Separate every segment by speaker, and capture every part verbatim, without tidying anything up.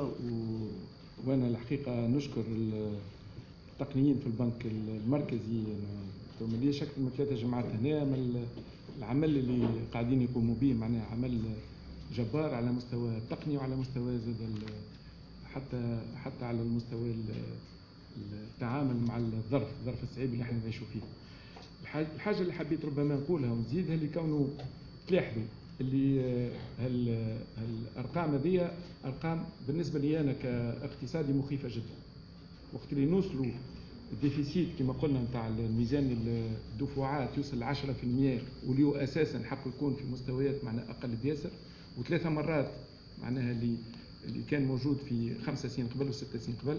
Speaker 1: و... وانا الحقيقة نشكر التقنيين في البنك المركزي. انا ماليش اكثر من ثلاثة جمعات هنا، من العمل اللي قاعدين يقوموا به معناها عمل جبار على مستوى التقني وعلى مستوى زاد حتى حتى على المستوى التعامل مع الظرف الظرف الصعيب اللي احنا نعيشوا فيه. الحاجة اللي حبيت ربما نقولها ونزيدها اللي كونه تلاحظوا اللي هالارقام هذه ارقام بالنسبة لي انا كاقتصادي مخيفة جدا. وقت اللي نوصلوا ال déficit كما قلنا نتاع الميزان الدفوعات يوصل ل عشرة بالمئة، واللي هو اساسا حقه يكون في مستويات معناها اقل بياسر، وثلاثة مرات معناها اللي اللي كان موجود في خمسة سنين قبل وستة سنين قبل،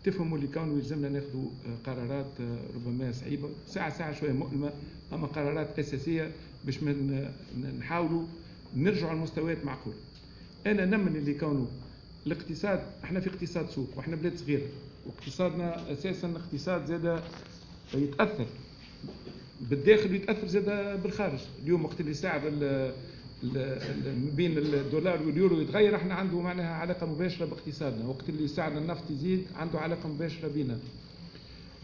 Speaker 1: تفهموا اللي كانوا يلزمنا ناخذوا قرارات ربما صعيبة ساعة ساعة شوية مؤلمة، اما قرارات اساسية باش من نحاولوا نرجعوا لمستويات معقولة. انا نمن اللي كانوا الاقتصاد، احنا في اقتصاد سوق واحنا بلاد صغيرة، واقتصادنا اساسا اقتصاد زاد يتاثر بالداخل ويتاثر زاد بالخارج. اليوم وقت اللي سعر بين الدولار واليورو يتغير، احنا عنده معناها علاقة مباشرة باقتصادنا. وقت اللي سعر النفط يزيد عنده علاقة مباشرة بينا.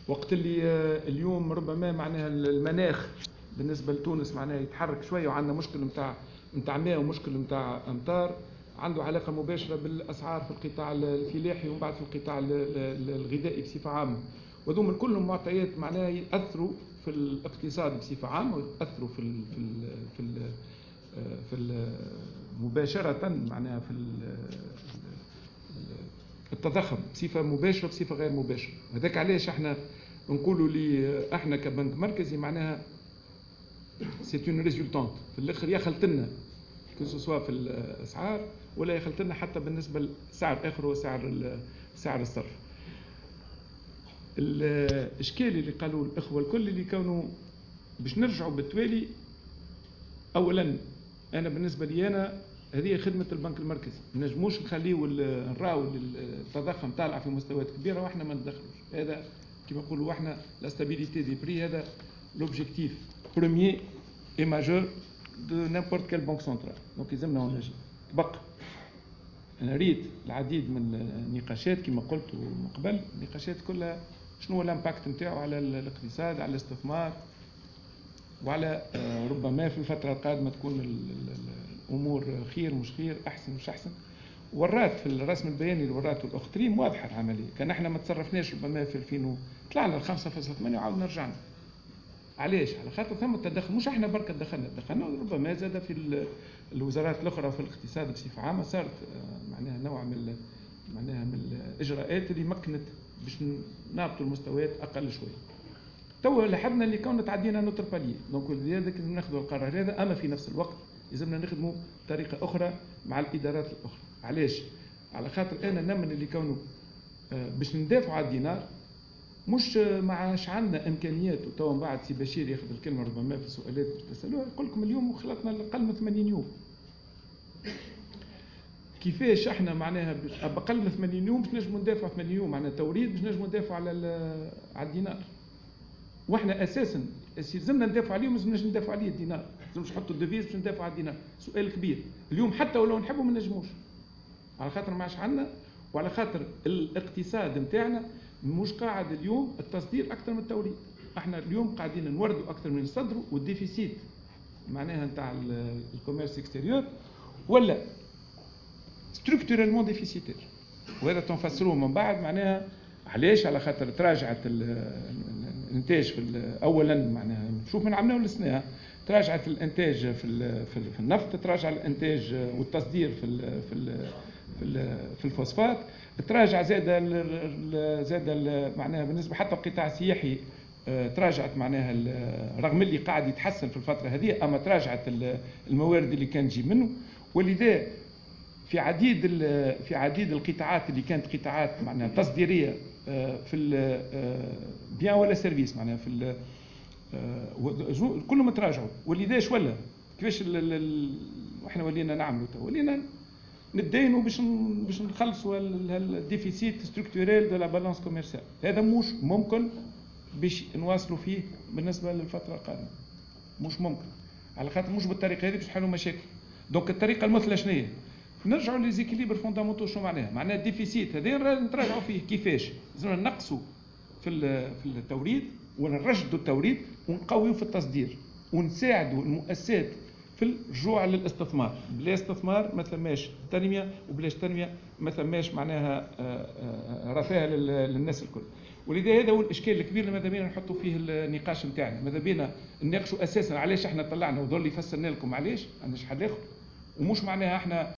Speaker 1: وقت اللي اليوم ربما معناها المناخ بالنسبة لتونس معناها يتحرك شوية وعندنا مشكل نتاع نتاع ماء ومشكل نتاع امطار، عنده علاقة مباشرة بالاسعار في القطاع الفلاحي ومن بعد في القطاع الغذائي بصفة عامة. وذوم كلهم معطيات معناها ياثروا في الاقتصاد بصفة عامة وياثروا في ال في ال في ال في ال مباشرة معناها في التضخم بصفة مباشرة بصفة غير مباشرة. هذاك علاش احنا نقولوا لي احنا كبنك مركزي معناها c'est une résultante في الاخر يخلط لنا que ce soit في الاسعار ولا يخلط لنا حتى بالنسبة لسعر اخر وسعر سعر الصرف. الاشكال اللي قالوا الاخوة الكل اللي كانوا باش نرجعوا بالتوالي، اولا انا بالنسبة لي انا هذه خدمة البنك المركزي، ما نجموش نخليو نراو التضخم طالع في مستويات كبيرة واحنا ما ندخلوش. هذا كما نقولوا احنا la stabilité des prix، هذا l'objectif premier et majeur de n'importe quelle banque centrale. donc يلزمنا نجي تبقى. انا ريت العديد من النقاشات كما قلت من قبل، النقاشات كلها شنو هو ال impact نتاعو على الاقتصاد، على الاستثمار، وعلى ربما في الفترة القادمة تكون الامور خير مش خير، احسن مش احسن. ورات في الرسم البياني اللي وراته الاخت ريم واضحة العملية، كان احنا ما تصرفناش ربما في ألفين طلعنا ل خمسة فاصلة ثمانية وعاودنا رجعنا. علاش؟ على خاطر ثم التدخل، مش احنا برك دخلنا، دخلنا ربما زاد في الوزارات الاخرى في الاقتصاد بصفة عامة صارت معناها نوع من معناها من الاجراءات اللي مكنت باش نهبطوا المستويات اقل شوية. توا لاحظنا اللي كون تعدينا un autre palier، donc لذلك لازم ناخذوا القرار هذا، اما في نفس الوقت لازمنا نخدموا بطريقة اخرى مع الادارات الاخرى. علاش؟ على خاطر انا نمن اللي كونه باش ندافعوا على الدينار مش ما عادش عندنا امكانيات. وتوا من بعد سي بشير ياخذ الكلمة ربما في السؤالات باش تسالوها، يقول لكم اليوم خلطنا اقل من ثمانين يوم. كيفاش احنا معناها باقل من ثمانين يوم باش نجموا ندافعوا ثمانين يوم معناها توريد باش نجموا ندافعوا على على الدينار؟ واحنا اساسا لازمنا ندافعوا عليه، ما لازمناش ندافعوا عليه الدينار، لازمش نحطوا ال devise باش ندافعوا على الدينار. سؤال كبير اليوم، حتى ولو نحبوا ما نجموش، على خاطر ما عادش عندنا، وعلى خاطر الاقتصاد نتاعنا مش قاعد اليوم التصدير اكثر من التوريد. احنا اليوم قاعدين نوردوا اكثر من نصدروا، وال déficit معناها نتاع ال commerce extérieur ولا structurellement déficitaire، وهذا تنفسروه من بعد معناها علاش؟ على خاطر تراجعت الانتاج في اولا معناها شوف من عملناه للسنة، تراجعت الانتاج في في النفط، تراجع الانتاج والتصدير في ال في ال في, في الفوسفات، تراجع زاد زاد معناها بالنسبة حتى القطاع السياحي تراجعت معناها رغم اللي قاعد يتحسن في الفترة هذه، اما تراجعت الموارد اللي كان تجي منه. ولذا في عديد في عديد القطاعات اللي كانت قطاعات معناها تصديريه في bien ولا service معناها في كلهم تراجعوا. ولذا اش ولا كيفاش احنا ولينا نعملوا تو؟ ولينا نتدينوا باش باش نخلصوا ال déficit structurel de la balance commerciale. هذا مش ممكن باش نواصلوا فيه بالنسبة للفترة القادمة، مش ممكن، على خاطر مش بالطريقة هذه باش نحلوا مشاكل. donc الطريقة المثلى شنو هي؟ نرجعوا les équilibres fondamentaux. شنو معناها؟ معناها ال déficit هذا نتراجعوا فيه. كيفاش؟ لازم نقصوا في في التوريد ونرشدوا التوريد ونقويوا في التصدير ونساعدوا المؤسسات في الرجوع للاستثمار. بلا استثمار ما ثماش تنميه، وبلاش تنمية ما ثماش معناها آه، آه، رفاه للناس الكل. ولذا هذا هو الاشكال الكبير اللي ماذا بينا نحطوا فيه النقاش نتاعنا. ماذا بينا نناقشوا اساسا علاش احنا طلعنا، وظل يفسرنا لكم علاش، عندناش حل اخر، ومش معناها احنا